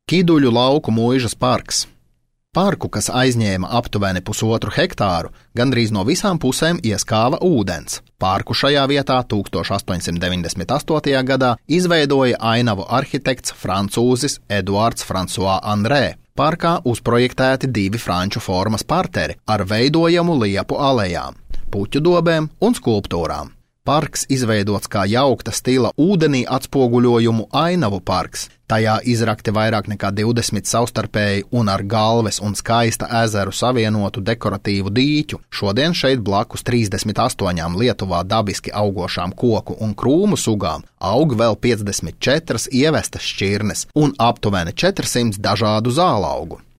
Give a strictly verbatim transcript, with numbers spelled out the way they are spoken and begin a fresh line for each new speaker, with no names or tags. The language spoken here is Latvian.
Kiduļu lauku mūžas parks. Parku, kas aizņēma aptuveni pusotru hektāru, gandrīz no visām pusēm ieskāva ūdens. Parku šajā vietā tūkstoš astoņsimt deviņdesmit astotajā gadā izveidoja ainavu arhitekts francūzis Eduards François Andrē. Parkā uzprojektēti divi franču formas parteri ar veidojamu liepu alejām, puķu dobēm un skulptūrām. Parks izveidots kā jaukta stila ūdenī atspoguļojumu ainavu parks. Tajā izrakti vairāk nekā divdesmit savstarpēji un ar Galves un Skaista ezeru savienotu dekoratīvu dīķu. Šodien šeit blakus trīsdesmit astoņām Lietuvā dabiski augošām koku un krūmu sugām aug vēl piecdesmit četras ievestas šķirnes un aptuveni četrsimt dažādu zālaugu.